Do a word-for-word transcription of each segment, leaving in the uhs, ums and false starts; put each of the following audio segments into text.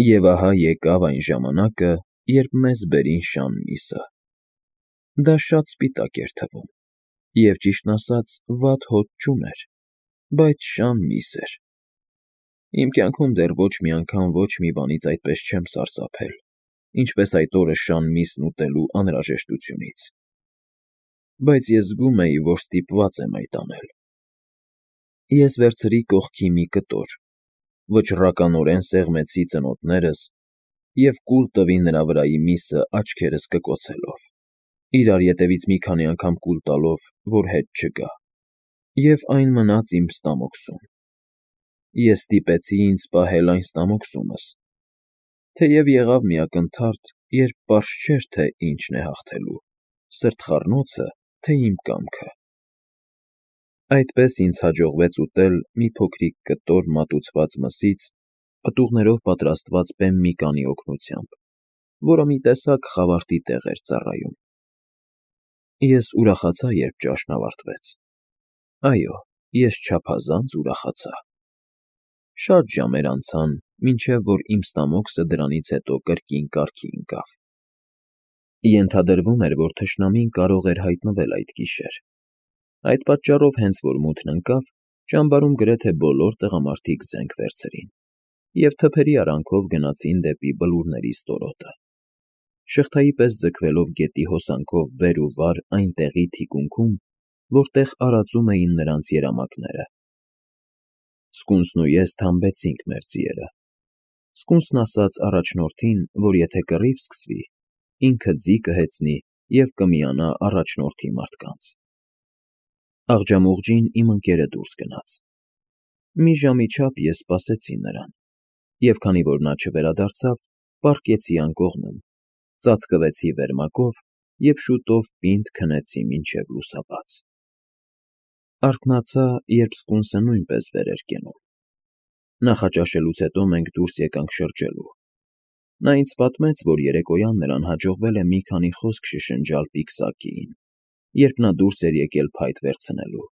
Եվ ահա եկավ այն ժամանակը, երբ մեզ բերին շան միսը. դա շատ սպիտակ էր թվում և, ճիշտն ասած, վատ հոտ չուներ, բայց շան միս էր. իմ կյանքում դեռ ոչ մի անգամ ոչ մի բանից այդպես չեմ սարսափել, ինչպես այդ օրը շան միսն ուտելու անհրաժեշտությունից, բայց ես զգում էի, որ ստիպված եմ այդ անել: Ես վերցրի կողքի մի կտոր, վճռականորեն սեղմեցի ծնոտներս և կուլ տվի նրա վրայի միսը աչքերս կկոցելով, իրար ետևից մի քանի անգամ կուլ տալով, որ հետ չգա, և այն մնաց իմ ստամոքսում: Ես ստիպեցի ինձ պահել այն ստամոքսումս, թեև եղավ մի ակնթարթ, երբ պարզ չէր, թե ինչն է հաղթելու՝ սրտխառնոցը, թե իմ կամքը: Այդպես ինձ հաջողվեց ուտել մի փոքրիկ կտոր մատուցված մսից պտուղներով պատրաստված բեմ մի կանի օգնությամբ, որը մի տեսակ խավարտի տեղ էր ծառայում: Ես ուրախացա, երբ ճաշն ավարտվեց: Այո, ես չափազանց ուրախացա: Շատ ժամեր անցան, մինչև որ իմ ստամոքսը դրանից հետո կրկին կարգի ընկավ: Ենթադրվում էր, որ թշնամին կարող էր հայտնվել այդ գիշեր: Այդ պատճառով հենց որ մութն ընկավ, ճամբարում գրեթե բոլոր տղամարդիկ զենք վերցրին և թփերի արանքով գնացին դեպի բլուրների ստորոտը, շղթայի պես ձգվելով գետի հոսանքով վեր ու վար այն տեղի թիկունքում, որտեղ արածում էին նրանց երամակները: Սկունսն ու ես թամբեցինք մեր ձիերը: Սկունսն ասաց առաջնորդին, որ եթե կռիվ սկսվի, ինքը ձի կհեծնի և կմիանա առաջնորդի մարդկանց: Աղջամուղջին իմ ընկերը դուրս գնաց: Մի ժամի չափ ես սպասեցի նրան և քանի որ նա չվերադարձավ, պառկեցի անկողնում, ծածկվեցի վերմակով և շուտով պինդ քնեցի մինչև լուսաբաց: Արթնացա, երբ սկունսը նույնպես վեր էր կենում: Նախաճաշելուց հետո մենք դուրս եկանք շրջելու: Նա ինձ պատմեց, որ երեկոյան նրան հաջողվել է մի քանի խոսք շշնջալ պիկսակիին, երբ նա դուրս էր եկել փայտ վերցնելու,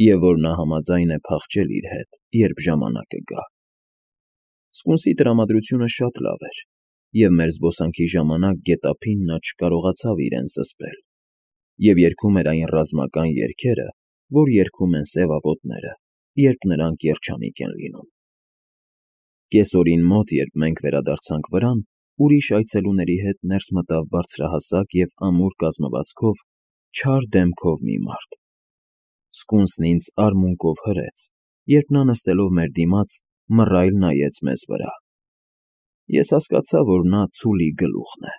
և որ նա համաձայն է փախչել իր հետ, երբ ժամանակը գա: Սկունսի տրամադրությունը շատ լավ էր, և մեր զբոսանքի ժամանակ գետափին նա չկարողացավ իրեն զսպել և երգում էր այն ռազմական երգերը, որ երգում են սևավոտները, երբ նրանք երջանիկ են լինում: Կեսօրին մոտ, երբ մենք վերադարձանք վրան, ուրիշ այցելուների հետ ներս մտավ բարձրահասակ և ամուր կազմվածքով, չար դեմքով մի մարդ: Սկունսն ինձ արմունկով հրեց, երբ նա նստելով մեր դիմաց, մռայլ նայեց մեզ վրա: Ես հասկացա, որ նա ցուլի գլուխն է: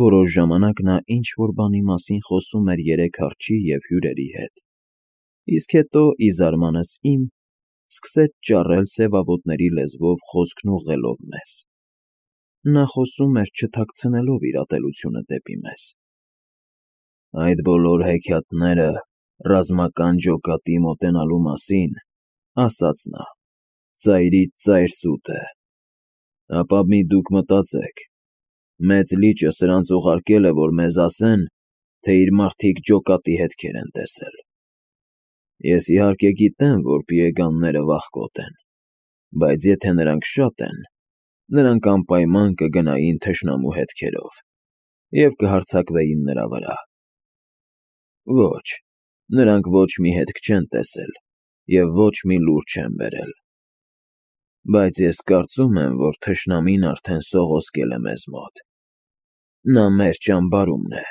Որոշ ժամանակ նա ինչ-որ բանի մասին խոսում էր երեք արջի և հյուրերի հետ, իսկ հետո, ի զարմանս իմ, սկսեց ճառել սևավոտների լեզվով խոսքն ուղղելով մեզ: Նա խոսում էր չթաքցնելով իր ատելությունը դեպի մեզ: «Այդ բոլոր հեքիաթները ռազմական ջոկատի մոտենալու մասին, — ասաց նա, — ծայրից ծայր սուտ է: Ապա մի դուք մտածեք, մեծ լիճը սրանց ուղարկել է, որ մեզ ասեն, թե իր մարդիկ ջոկատի հետքեր են տեսել: Ես իհարկե գիտեմ, որ պիեգանները վախկոտ են, բայց եթե նրանք շատ են, նրանք անպայման կգնային թշնամու հետքերով և կհարձակվեին նրա վրա: Ոչ, նրանք ոչ մի հետք չեն տեսել և ոչ մի լուր չեն բերել: Բայց ես կարծում եմ, որ թշնամին արդեն սողոսկել է մեզ մոտ: Նա մեր ճամբարումն է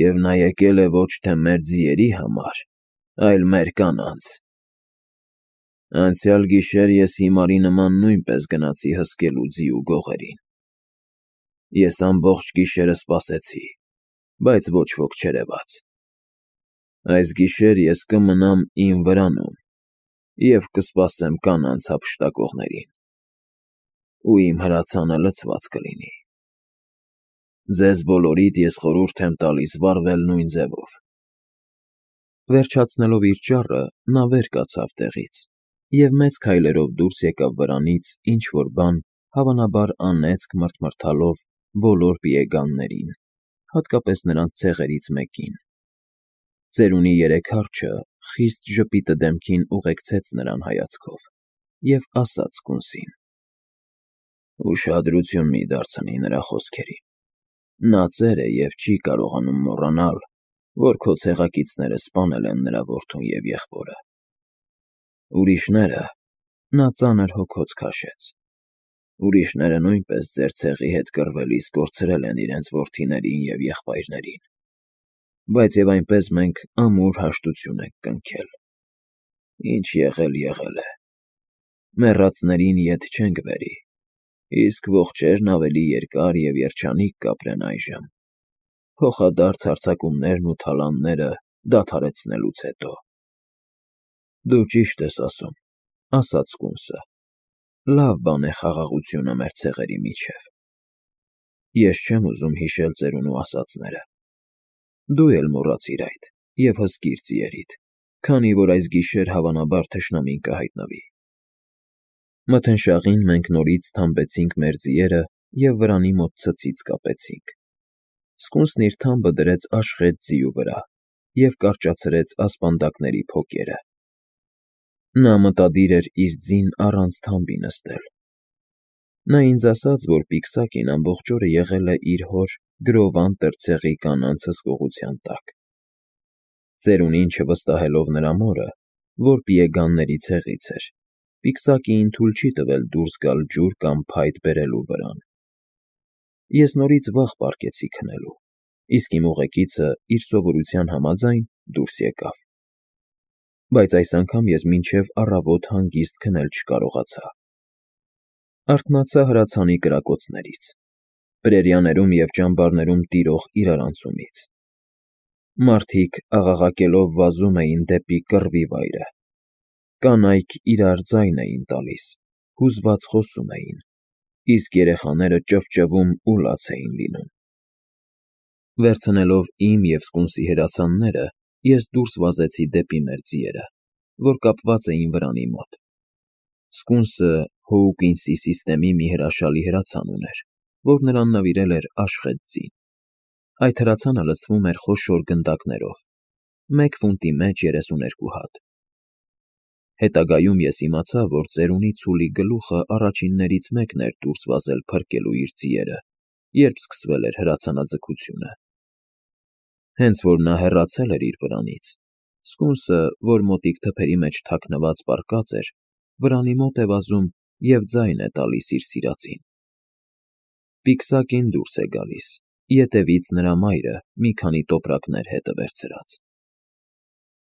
և նա եկել է ոչ թե մեր ձիերի համար, այլ մեր կանանց: Անցյալ գիշեր ես հիմարի նման նույնպես գնացի հսկելու ձի ու գողերին: Ես ամբողջ գիշերը սպասեցի, բայց ոչ ոք չերևաց: Այս գիշեր ես կմնամ իմ վրանում և կսպասեմ կանանց հափշտակողներին: Ու իմ հրացանը լցված կլինի: Ձեզ բոլորիդ ես խորհուրդ եմ տալիս վարվել նույն ձևով»: Վերջացնելով իր ճառը, նա վեր կացավ տեղից և մեծ քայլերով դուրս եկավ վրանից ինչ-որ բան, հավանաբար անեծք մռթմռթալով բոլոր պիեգաններին, հատկապես նրանց ցեղերից մեկին: Ծերունի երեք արջը խիստ ժպիտը դեմքին ուղեկցեց նրան հայացքով և ասաց սկունսին. Ուշադրություն մի դարձնի նրա խոսքերին. նա ծեր է և չի կարողանում մոռանալ, որ քո ցեղակիցները սպանել են նրա որդուն և եղբորը։ Ուրիշները, նա ծանր հոգոց քաշեց, ուրիշները նույնպես ձեր ցեղի հետ կռվելիս կորցրել են իրենց որդիներին և եղբայրներին, բայց և այնպես մենք ամուր հաշտություն ենք կնքել։ Ինչ եղել, եղել է, մեռածներին ետ չենք բերի, իսկ ողջերն ավելի երկար և երջանիկ կապրեն այժմ, փոխադարձ հարձակումներն ու թալանները դադարեցնելուց հետո։ Դու ճիշտ ես ասում, ասաց սկունսը, լավ բան է խաղաղությունը մեր ցեղերի միջև։ Ես չեմ ուզում հիշել ծերունու ասածները։ Դու էլ մոռացիր այդ և հսկիր ձիերիդ, քանի որ այս գիշեր հավանաբար թշնամին կհայտնվի։ Մթնշաղին մենք նորից թամբեցինք մեր ձիերը և վրանի մոտ ցցից կապեցինք։ Սկունսն իր թամբը դրեց աշխեծ ձիու վրա և կարճացրեց ասպանդակների փոկերը։ Նա մտադիր էր իր ձին առանց թամբի նստել։ Նա ինձ ասաց, որ պիկսակին ամբողջ օրը եղել է իր հոր Գրովանտր ցեղի կանանց հսկողության տակ։ Ծերունին չվստահելով նրա մորը, որ պիեգանների ցեղից էր, պիկսակիին թույլ չի տվել դուրս գալ ջուր կամ փայտ բերելու վրան։ Ես նորից վաղ պառկեցի քնելու, իսկ իմ ուղեկիցը, իր սովորության համաձայն, դուրս եկավ։ Բայց այս անգամ ես մինչև առավոտ հանգիստ քնել չկարողացա։ Արթնացա հրացանի կրակոցներից, պրերիաներում և ճամբարներում տիրող իրարանցումից։ Մարդիկ աղաղակելով վազում էին դեպի կռվի վայրը։ Կանայք իրար ձայն էին տալիս, հուզված խոսում էին, իսկ երեխաները ճվճվում ու լաց էին լինում։ Վերցնելով իմ և սկունսի հրացանները, ես դուրս վազեցի դեպի մեր ձիերը, որ կապված էին վրանի մոտ։ Սկունսը Հոուկինսի սիստեմի մի հրաշալի հրացան ուներ, որ նրան նվիրել էր աշխեծ ձին։ Այդ հրացանը լցվում էր խոշոր գնդակներով, մեկ ֆունտի մեջ երեսուներկու հատ։ Հետագայում ես իմացա, որ ծերունի ցուլի գլուխը առաջիններից մեկն էր դուրս վազել փրկելու իր ձիերը, երբ սկսվել էր հրացանաձգությունը։ Հենց որ նա հեռացել էր իր վրանից, սկունսը, որ մոտիկ թփերի մեջ թաքնված պառկած էր, վրանի մոտ է վազում և ձայն է տալիս իր սիրածին։ Պիկսակին դուրս է գալիս, ետևից նրա մայրը մի քանի տոպրակներ հետը վերցրած։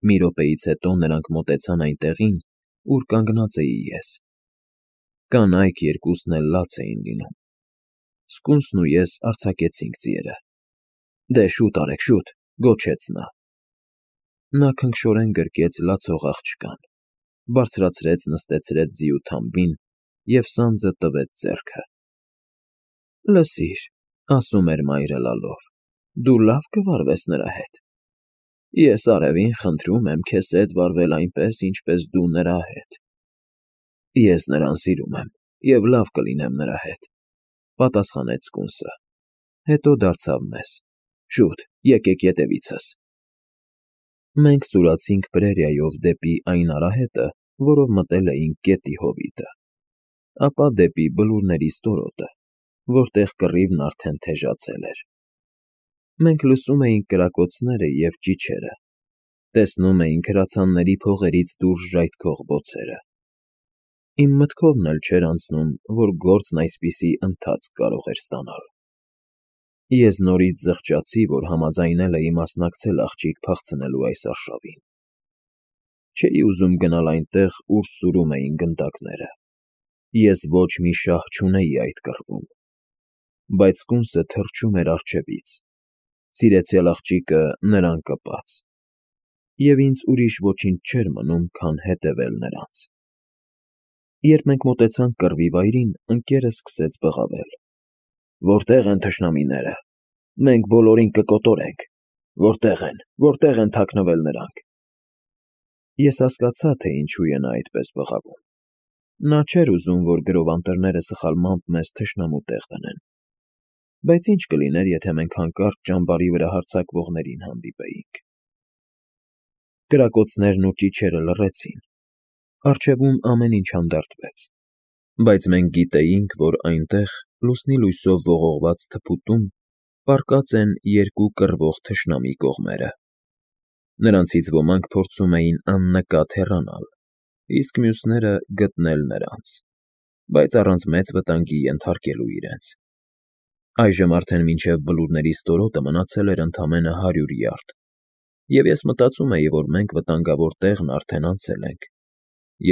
Մի րոպեից հետո նրանք մոտեցան այն տեղին, ուր կանգնած էի ես։ Կանայք երկուսն էլ լաց էին լինում։ Սկունսն ու ես արձակեցինք ձիերը։ Դե շուտ արեք, շուտ, գոչեց նա։ Նա քնքշորեն գրկեց լացող աղջկան, բարձրացրեց նստեցրեց ձիու թամբին և սանձը տվեց ձեռքը։ Լսիր, ասում էր մայրը լալով, դու լավ կվարվես նրա հետ։ Ես արևին խնդրում եմ քեզ հետ վարվել այնպես, ինչպես դու նրա հետ։ Ես նրան սիրում եմ և լավ կլինեմ նրա հետ, պատասխանեց սկունսը, հետո դարձավ մեզ. շուտ, եկեք ետևիցս։ Մենք սուրացինք պրերիայով դեպի այն արահետը, որով մտել էինք գետի հովիտը, ապա դեպի բլուրների ստորոտը, որտեղ կռիվն արդեն թեժացել էր։ Մենք լսում էինք կրակոցները և ճիչերը, տեսնում էինք հրացանների փողերից դուրս ժայթքող բոցերը։ Իմ մտքովն էլ չէր անցնում, որ գործն այսպիսի ընթացք կարող էր ստանալ։ Ես նորից զղջացի, որ համաձայնել էի մասնակցել աղջիկ փախցնելու այս արշավին։ Չէի ուզում գնալ այնտեղ, ուր սուրում էին գնդակները։ Ես ոչ մի շահ չունեի այդ կռվում։ Բայց սկունսը թռչում էր առջևից, սիրեցյալ աղջիկը նրան կպած, և ինձ ուրիշ ոչինչ չէր մնում, քան հետևել նրանց։ Երբ մենք մոտեցանք կռվի վայրին, ընկերս սկսեց բղավել. Որտե՞ղ են թշնամիները։ Մենք բոլորին կկոտորենք։ Որտե՞ղ են, որտե՞ղ են թաքնվել նրանք։ Ես հասկացա, թե ինչու է նա այդպես բղավում։ Նա չէր ուզում, որ գրովանտերները սխալմամբ մեզ թշնամու տեղ դնեն։ Բայց ինչ կլիներ, եթե մենք հանկարծ ճամբարի վրա հարձակվողներին հանդիպեինք։ Կրակոցներն ու ճիչերը լռեցին։ Առջևում ամեն ինչ հանդարտվեց։ Բայց մենք գիտեինք, որ այնտեղ, լուսնի լույսով ողողված թփուտում, պառկած են երկու կռվող թշնամի կողմերը. նրանցից ոմանք փորձում էին աննկատ հեռանալ, իսկ մյուսները գտնել նրանց, բայց առանց մեծ վտանգի ենթարկելու իրենց։ Այժմ արդեն մինչև բլուրների ստորոտը մնացել էր ընդամենը հարյուր յարդ, և ես մտածում էի, որ մենք վտանգավոր տեղն արդեն անցել ենք,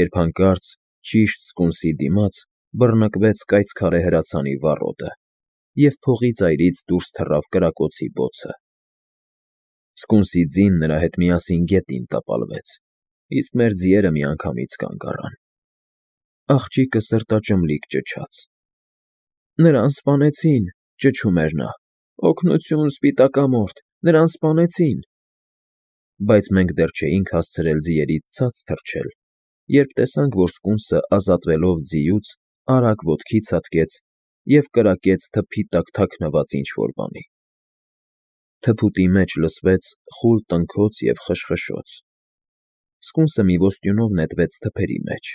երբ հանկարծ, ճիշտ սկունսի դիմաց, բռնկվեց կայծքարե հրացանի վառոդը, և փողի ծայրից դուրս թռավ կրակոցի բոցը։ Սկունսի ձին նրա հետ միասին գետին տապալվեց, իսկ մեր ձիերը միանգամից կանգ առան։ Աղջիկը սրտաճմլիկ ճչաց. «Նրան սպանեցին», ճչում էր նա, «օգնություն, Սպիտակամորթ, նրան սպանեցին»։ Բայց մենք դեռ չէինք հասցրել ձիերից ցած թռչել, երբ տեսանք, որ սկունսը ազատվելով ձիուց, արագ ոտքի ցատկեց և կրակեց թփի տակ թաքնված ինչ֊որ բանի։ Թփուտի մեջ լսվեց խուլ տնքոց և խշխշոց։ Սկունսը մի ոստյունով նետվեց թփերի մեջ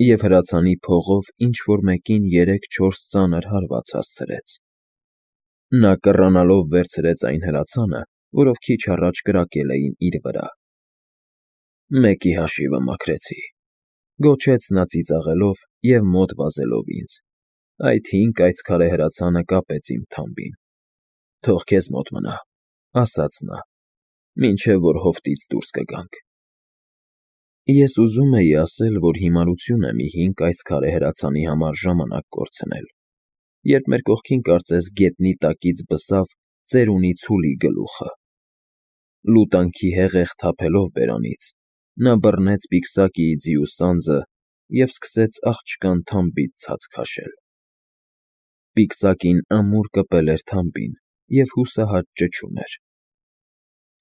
և հրացանի փողով ինչ֊որ մեկին երեք֊չորս ծանր հարված հասցրեց։ Նա կռանալով վերցրեց այն հրացանը, որով քիչ առաջ կրակել էին իր վրա։ «Մեկի հաշիվը մաքրեցի», գոչեց նա ծիծաղելով և մոտ վազելով ինձ. «Այդ հին կայծքարե հրացանը կապեց իմ թամբին»։ «Թող քեզ մոտ մնա», ասաց նա, «մինչև որ հովտից դուրս կգանք»։ Ես ուզում էի ասել, որ հիմարություն է մի հին կայծքարե հրացանի համար ժամանակ կորցնել, երբ մեր կողքին կարծես գետնի տակից բսավ ծերունի ցուլի գլուխը։ Լուտանքի հեղեղ թափելով բերանից, նա բռնեց պիկսակիի ձիու սանձը և սկսեց աղջկան թամբից ցած քաշել։ Պիկսակին ամուր կպել էր թամբին և հուսահատ ճչում էր։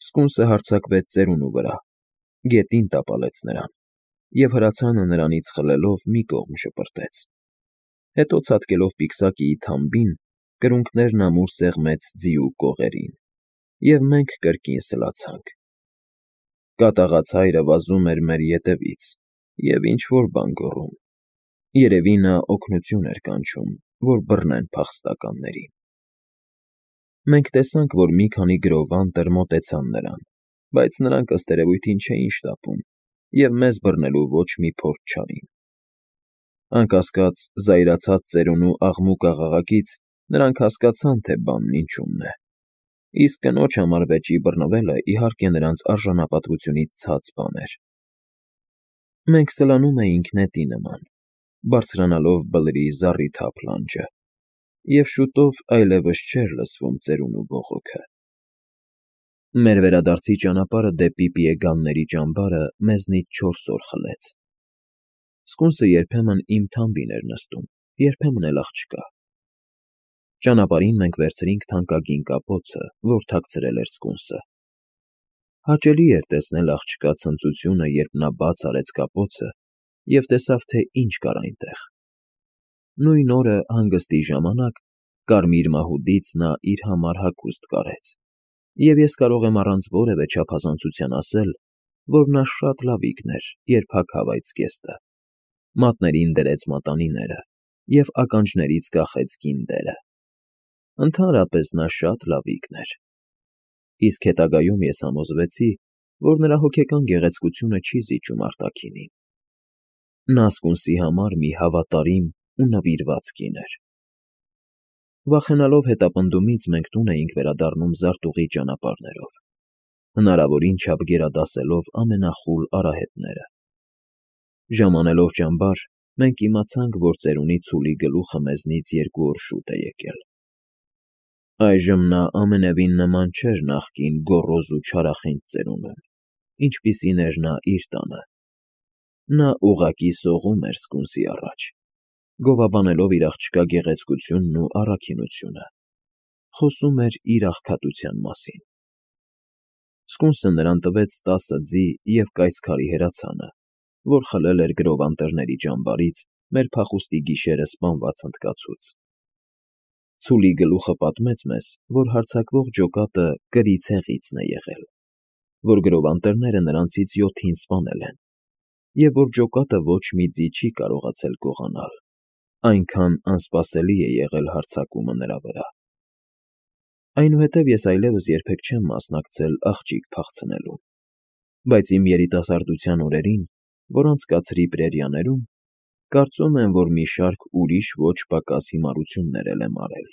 Սկունսը հարձակվեց ծերունու վրա, գետին տապալեց նրան և հրացանը նրանից խլելով մի կողմ շպրտեց։ Հետո ցատկելով պիկսակիի թամբին, կրունկներն ամուր սեղմեց ձիու կողերին, և մենք կրկին սլացանք։ Կատաղած հայրը վազում էր մեր ետևից և ինչ֊որ բան գոռում. երևի նա օգնություն էր կանչում, որ բռնեն փախստականներին։ Մենք տեսանք, որ մի քանի գրով անտր մոտեցան նրան, բայց նրանք, ըստ երևույթին, չէին շտապում և մեզ բռնելու ոչ մի փորձ չարին։ Անկասկած, զայրացած ծերունու աղմուկ֊աղաղակից նրանք հասկացան, թե բանն ինչումն է, իսկ կնոջ համար վեճի բռնվելը, իհարկե, նրանց արժանապատվությունից ցած բան էր։ Մենք սլանում էինք նետի նման, բարձրանալով բլրի զառիթափ լանջը, և շուտով այլևս չէր լսվում ծերունու բողոքը։ Մեր վերադարձի ճանապարհը դեպի Պիեգանների ճամբարը մեզնից չորս օր խլեց։ Սկունսը երբեմն իմ թամբին էր նստում, երբեմն էլ աղջկա։ Ճանապարհին մենք վերցրինք թանկագին կապոցը, որ թաքցրել էր սկունսը։ Հաճելի էր տեսնել աղջկա ցնծությունը, երբ նա բաց արեց կապոցը և տեսավ, թե ինչ կար այնտեղ։ Նույն օրը, հանգստի ժամանակ, կարմիր մահուդից նա իր համար հագուստ կարեց, և ես կարող եմ առանց որևէ չափազանցության ասել, որ նա շատ լավիկն էր, երբ հագավ այդ զգեստը, մատներին դրեց մատանիները և ականջներից կախեց գինդերը։ Ընդհանրապես նա շատ լավիկն էր։ Իսկ հետագայում ես համոզվեցի, որ նրա հոգեկան գեղեցկությունը չի զիջում արտաքինին։ Նա սկունսի համար մի հավատարիմ ու նվիրված կին էր։ Վախենալով հետապնդումից մենք տուն էինք վերադառնում զարտուղի ճանապարհներով, հնարավորին չափ գերադասելով ամենախուլ արահետները։ Ժամանելով ճամբար, մենք իմացանք, որ ծերունի ցուլի գլուխը մեզնից երկու օր շուտ է եկել։ Այժմ նա ամենևին նման չէր նախկին գոռոզ ու չարախինդ ծերունուն, ինչպիսին էր նա իր տանը։ Նա ուղղակի սողում էր սկունսի առաջ, գովաբանելով իր աղջկա գեղեցկությունն ու առաքինությունը, խոսում էր իր աղքատության մասին։ Սկունսը նրան տվեց տասը ձի և կայծքարի հրացանը, որ խլել էր գրով անտառների ճամբարից մեր փախուստի գիշերը սպանված հնդկացուց։ Ցուլի գլուխը պատմեց մեզ, որ հարձակվող ջոկատը կրի ցեղիցն է եղել, որ գրով անտառները նրանցից յոթին սպանել են, և որ ջոկատը ոչ մի ձի չի կարողացել գողանալ։ Այնքան անսպասելի է եղել հարձակումը նրա վրա։ Այնուհետև ես այլևս երբեք չեմ մասնակցել աղջիկ փախցնելուն, բայց իմ երիտասարդության օրերին, որ անցկացրի Պրերիաներում, կարծում եմ, որ մի շարք ուրիշ ոչ պակաս հիմարություններ էլ եմ արել։